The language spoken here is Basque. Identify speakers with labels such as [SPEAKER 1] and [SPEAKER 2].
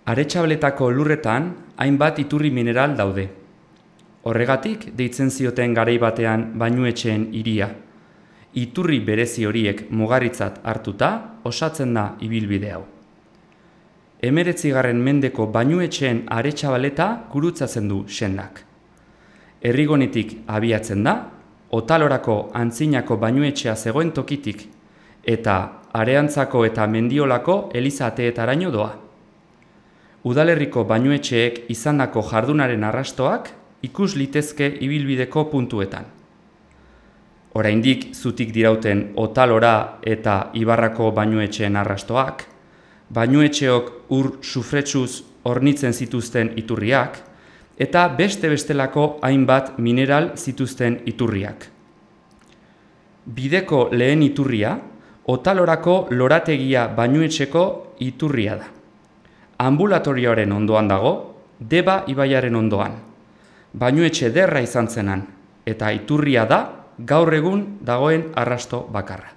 [SPEAKER 1] Aretxabaletako lurretan hainbat iturri mineral daude. Horregatik deitzen zioten garai batean bainuetxeen hiria. Iturri berezi horiek mugarritzat hartuta osatzen da ibilbide hau. 19. mendeko bainuetxeen Aretxabaleta gurutzatzen du sendak. Herrigonetik abiatzen da, Otalorako antzinako bainuetxea zegoen tokitik eta Areantzako eta Mendiolako elizateetaraino doa. Udalerriko bainuetxeek izandako jardunaren arrastoak ikus litezke ibilbideko puntuetan. Oraindik zutik dirauten Otalora eta Ibarrako bainuetxeen arrastoak, bainuetxeok ur sufretsuz hornitzen zituzten iturriak, eta bestelako hainbat mineral zituzten iturriak. Bideko lehen iturria, Otalorako lorategia bainuetxeko iturria da. Ambulatorioaren ondoan dago, Deba ibaiaren ondoan. Bainuetxe ederra izan zenan, eta iturria da gaur egun dagoen arrasto bakarra.